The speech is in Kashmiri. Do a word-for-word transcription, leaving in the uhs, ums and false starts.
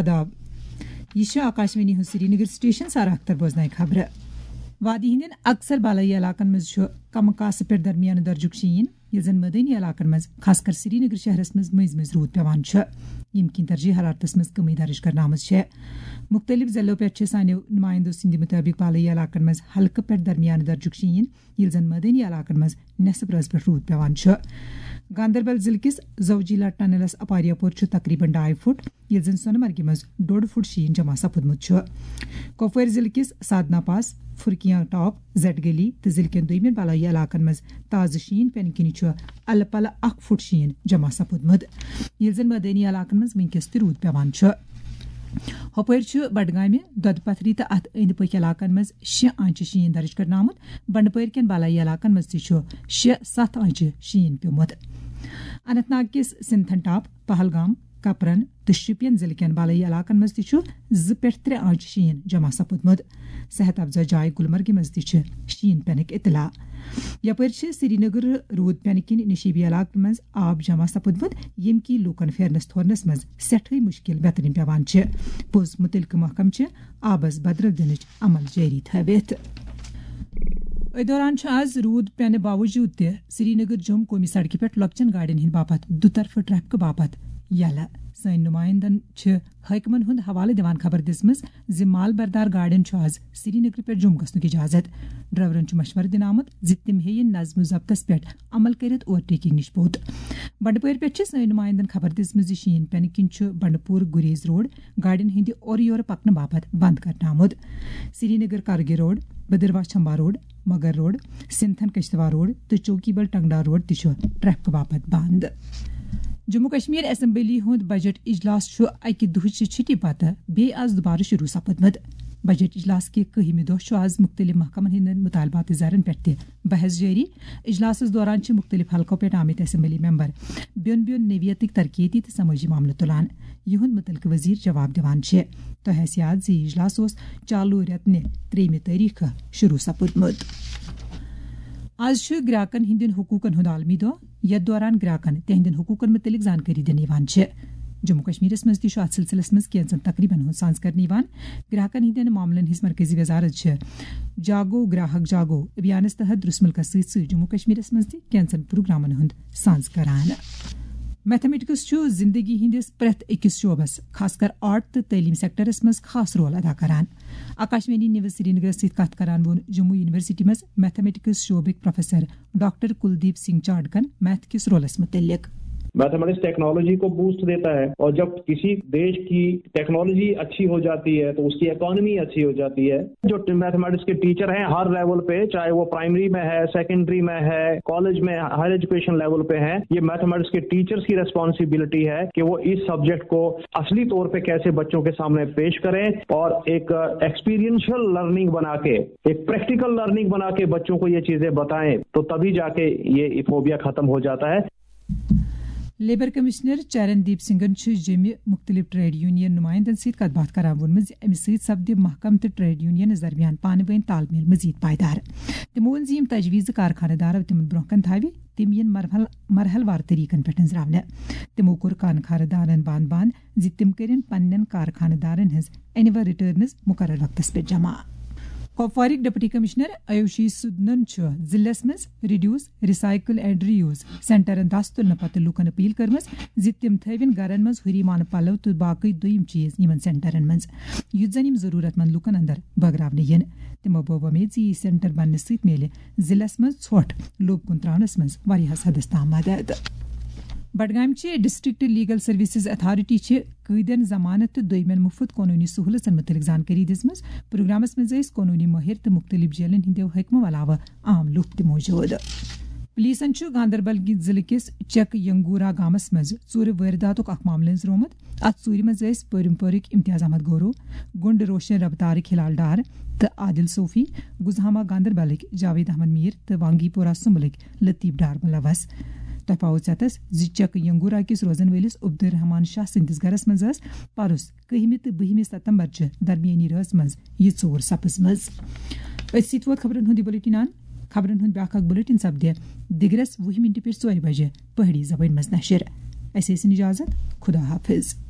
آداب۔ یہِ چھُ آکاشوانی ہُنٛد سرینگر سٹیشن۔ سارا اختر بوزناوِ خبرٕ۔ وادی ہٕنٛدٮ۪ن اکثر بالٲیی علاقن منٛز چھُ کم کاسہٕ پٮ۪ٹھ درمیانہٕ درجُک شیٖن، ییٚلہِ زن مٲدٲنی علاقن منٛز، خاص کر سرینگر شہرس منٛز، مٔنٛزۍ مٔنٛزۍ روٗد پٮ۪وان چھُ، ییٚمہِ کِنۍ ترجیح حرارتس منٛز کمی درج کرنہٕ آمٕژ چھےٚ۔ مُختٔلِف ضلعو پٮ۪ٹھ چھِ سانیو نُمایندو سٕنٛدِ مُطٲبِق بالٲیی علاقن منٛز ہلکہٕ پٮ۪ٹھ درمیانہٕ درجُک شیٖن، ییٚلہِ زن مٲدٲنی علاقن منٛز نٮ۪صٕف رٲژ پٮ۪ٹھ روٗد پٮ۪وان چھُ۔ گاندربل ضلعہٕ کِس زوجیلا ٹنلس اپاریا پور چھُ تقریباً ڈاے فُٹ، ییٚلہِ زن سۄنہٕ مرگہِ منٛز ڈوٚڈ فُٹ شیٖن جمع سپُدمُت چھُ۔ کۄپوٲرۍ ضلعہٕ کِس سادنا پاس، فرقیاں ٹاپ، زیٹ گلی تہٕ ضلعہٕ کٮ۪ن دوٚیمٮ۪ن بالٲیی علاقن منٛز تازٕ شیٖن پٮ۪نہٕ کِنۍ چھُ الہٕ پلہٕ اکھ فُٹ شیٖن جمع سپُدمُت، ییٚلہِ زن مٲدٲنی علاقن منٛز وٕنکیٚس تہِ روٗد پٮ۪وان چھُ۔ ہۄپٲرۍ چھُ بڈگامہِ، دۄدٕ پتھری تہٕ اتھ أنٛدۍ پٔکۍ علاقن منٛز شےٚ آنچہِ شیٖن درج کرنہٕ آمُت۔ بنڈپورِ کٮ۪ن بالٲیی علاقن منٛز تہِ چھُ شےٚ ستھ آنچہِ شیٖن پیوٚمُت۔ اننت ناگ کِس سِنتھن ٹاپ، پہلگام، کپرن تہٕ شُپین ضلعہٕ کٮ۪ن بالٲیی علاقن منٛز تہِ چھُ زٕ پٮ۪ٹھ ترٛےٚ آنچہِ شیٖن جمع سپُدمُت۔ صحت افزا جاے گلمرگہِ منٛز تہِ چھِ شیٖن پینٕکۍ اطلاع۔ یپٲرۍ چھِ سرینگر روٗد پینہٕ کِنۍ نشیبی علاقن منٛز آب جمع سپُدمُت، ییٚمہِ کِنۍ لوٗکن پھیرنس تھورنس منٛز سٮ۪ٹھٕے مُشکِل بیترِنۍ پٮ۪وان چھِ۔ پوٚز مُتعلقہٕ محکمہٕ چھِ آبس بدرو دِنٕچ عمل جٲری تھٲوِتھ۔ أتھۍ دوران چھُ آز روٗد پینہٕ باوجوٗد تہِ سرینگر جوٚم قومی سڑکہِ پٮ۪ٹھ لۄکچٮ۪ن گاڑٮ۪ن ہٕنٛدِ باپتھ دُطرفہٕ ٹریفکہٕ باپتھ یلہٕ۔ سٲنۍ نُمایندن چھِ حٲکمن ہُنٛد حوالہٕ دِوان خبر دِژمٕژ زِ مال بردار گاڑٮ۪ن چھُ آز سرینگرٕ پٮ۪ٹھ جوٚم گژھنُک اجازت۔ ڈرائیورن چھُ مشورٕ دِنہٕ آمُت زِ تِم ہیٚیِن نظم و ضبطس پٮ۪ٹھ عمل کٔرِتھ اوور ٹیکنگ نِش پوٚت۔ بنڈپورِ پٮ۪ٹھ چھِ سٲنۍ نُمایندن خبر دِژمٕژ زِ شیٖن پینہٕ کِنۍ چھُ بنڈپور گریز روڈ گاڑٮ۪ن ہٕنٛدِ اورٕ یورٕ پکنہٕ باپتھ بند کرنہٕ آمُت۔ سرینگر کرگہِ روڈ، بدرواہ چھمبا روڈ، مگر روڈ، سنتھن کشتواڑ روڈ تہٕ چوکی بل ٹنگڈار روڈ تہِ چھُ ٹریفکہٕ باپتھ بند۔ جموں کشمیر اسمبلی ہُنٛد بجٹ اجلاس چھُ اکہِ دُہٕچہِ چھُٹی پتہٕ بیٚیہِ آز دُبارٕ شروع سپُدمُت۔ بجٹ اجلاس کہِ کٔہمہِ دۄہ چھُ آز مُختٔلِف محکمن ہٕنٛدٮ۪ن مُطالباتہٕ زرن پٮ۪ٹھ تہِ بحث جٲری۔ اجلاسس دوران چھِ مُختٔلِف حلقو پٮ۪ٹھ آمٕتۍ اسمبلی ممبر بیوٚن بیوٚن نوعیتٕکۍ ترقیتی تہٕ سمٲجی معاملہٕ تُلان۔ یِہُنٛد مُتعلقہٕ وزیر جواب دِوان چھِ۔ تۄہہِ آسہِ یاد زِ یہِ اجلاس اوس چالو رٮ۪تہٕ نہِ ترٛیٚیِمہِ تٲریخہٕ شروع سپُدمُت۔ آز چھُ گراکن ہٕنٛدٮ۪ن حقوٗقن ہُنٛد عالمی دۄہ، یتھ دوران گراکن تِہنٛدٮ۪ن حقوٗقن مُتعلق زانکٲری دِنہٕ یِوان چھِ۔ جموں کشمیرس منٛز تہِ چھُ اتھ سلسلس منٛز کینٛژن تقریبن ہُنٛد سانز کرنہٕ یِوان۔ گراکن ہٕنٛدٮ۪ن معاملن ہٕنٛز مرکزی وزارت چھِ جاگو گراہک جاگو ابھیانس تحت درسملکس سۭتۍ سۭتۍ جموں کشمیرس منٛز تہِ کینٛژن پروگرامن ہُنٛد سانز کران۔ میتھمیٹکس چھُ زندگی ہٕنٛدِس پرٛٮ۪تھ أکِس شعبس، خاص کر آرٹ تہٕ تعلیٖم سیکٹرس منٛز خاص رول ادا کران۔ آکاشوانی نیوز سرینگرس سۭتۍ کتھ کران ووٚن جموں یونیورسٹی منٛز میتھمیٹکس شعبٕکۍ پروفیسر ڈاکٹر کلدیپ سنگھ چاڈکن میتھ کِس رولس متعلق۔ मैथमेटिक्स टेक्नोलॉजी को बूस्ट देता है और जब किसी देश की टेक्नोलॉजी अच्छी हो जाती है तो उसकी इकोनॉमी अच्छी हो जाती है। जो मैथमेटिक्स के टीचर हैं हर लेवल पे, चाहे वो प्राइमरी में है, सेकेंडरी में है, कॉलेज में, हायर एजुकेशन लेवल पे है, ये मैथमेटिक्स के टीचर्स की रिस्पॉन्सिबिलिटी है कि वो इस सब्जेक्ट को असली तौर पे कैसे बच्चों के सामने पेश करें और एक एक्सपीरियंशियल लर्निंग बना के, एक प्रैक्टिकल लर्निंग बना के बच्चों को ये चीजें बताएं, तो तभी जाके ये फोबिया खत्म हो जाता है। لیبر کمشنر چرن دیپ سنگھن چھُ جیٚمہِ مُختٔلِف ٹریڈ یونین نُمایندن سۭتۍ کتھ باتھ کران ووٚنمُت زِ امہِ سۭتۍ سپدِ محکمہٕ تہٕ ٹریڈ یونینس درمیان پانہٕ وٲنۍ تال میل مزید پائیدار۔ تِمو ووٚن زِ یِم تجویٖزٕ کارخانہٕ دارو تِمن برونٛہہ کُن تھاوِ، تِم یِن مرحل مرحل وار طریقن پٮ۪ٹھ أنٛزراونہٕ۔ تِمو کوٚر کارخانہٕ دارن باند باند زِ تِم کٔرِن پننٮ۪ن کارخانہٕ دارن ہٕنٛز اینوئل ریٹرنز مقرر وقتس پٮ۪ٹھ جمع۔ کپوارٕکۍ ڈپٹی کمشنر آیوشی سودنن چھُ ضلعس منٛز reduce, recycle and reuse سینٹرن دس تُلنہٕ پتہٕ لوٗکن اپیل کٔرمٕژ زِ تِم تھٲوِن گرن منٛز ہُری مانہٕ پلو تہٕ باقٕے دوٚیِم چیز یِمن سینٹرن منٛز، یُتھ زن یِم ضروٗرت مند لوٗکن اندر بٲگراونہٕ یِن۔ تِمو بوو وۄمید زِ یہِ سینٹر بننہٕ سۭتۍ میلہِ ضلعس منٛز ژھۄٹھ لوٚب کُن تراونس منٛز واریاہس حدس تام مدد۔ بڈگامچہِ ڈسٹرکٹ لیگل سروسز اتھارٹی چھِ قٲدٮ۪ن ضمانت تہٕ دوٚیمٮ۪ن مُفت قونوٗنی سہوٗلژن مُتعلق زانکٲری دِژمٕژ۔ پروگرامس منٛز ٲسۍ قونوٗنی مٲہِر تہٕ مُختٔلِف جیلن ہٕنٛدیو حٲکمو علاوٕ عام لوٗکھ تہِ موجود۔ پُلیٖسن چھُ گاندربل ضلعہٕ کِس چک ینگورا گامس منٛز ژوٗرِ وٲرۍداتُک اکھ معاملہٕ أنٛزرومُت۔ اتھ ژوٗرِ منٛز ٲسۍ پٲرِم پورٕکۍ امتیاز احمد گورو، گُنڈ روشن رفتارٕکۍ ہلال ڈار تہٕ عادل صوفی، گُزہامہ گاندربلٕکۍ جاوید احمد میر تہٕ وانگی پورہ سُمبلٕکۍ لطیف ڈار ملوث۔ تۄہہِ پاوو ژیتس زِ چک ینگورا کِس روزن وٲلِس عبدالرحمان شاہ سٕنٛدِس گرس منٛز ٲس پرُس کٔہمہِ تہٕ بٔہمہِ ستمبر چہِ درمیٲنی رٲژ منٛز یہِ ژوٗر سپٕزمٕژ۔ أتھۍ سۭتۍ ووت خبرن ہُنٛد یہِ بُلٹن اند۔ خبرن ہُنٛد بیٛاکھ اکھ بُلٹن سپدِ دِگرس وُہہِ مِنٹہِ پٮ۪ٹھ ژورِ بجہِ پہٲڑی زبٲنۍ منٛز نشر۔ اسہِ ٲسِن اجازت۔ خدا حافظ۔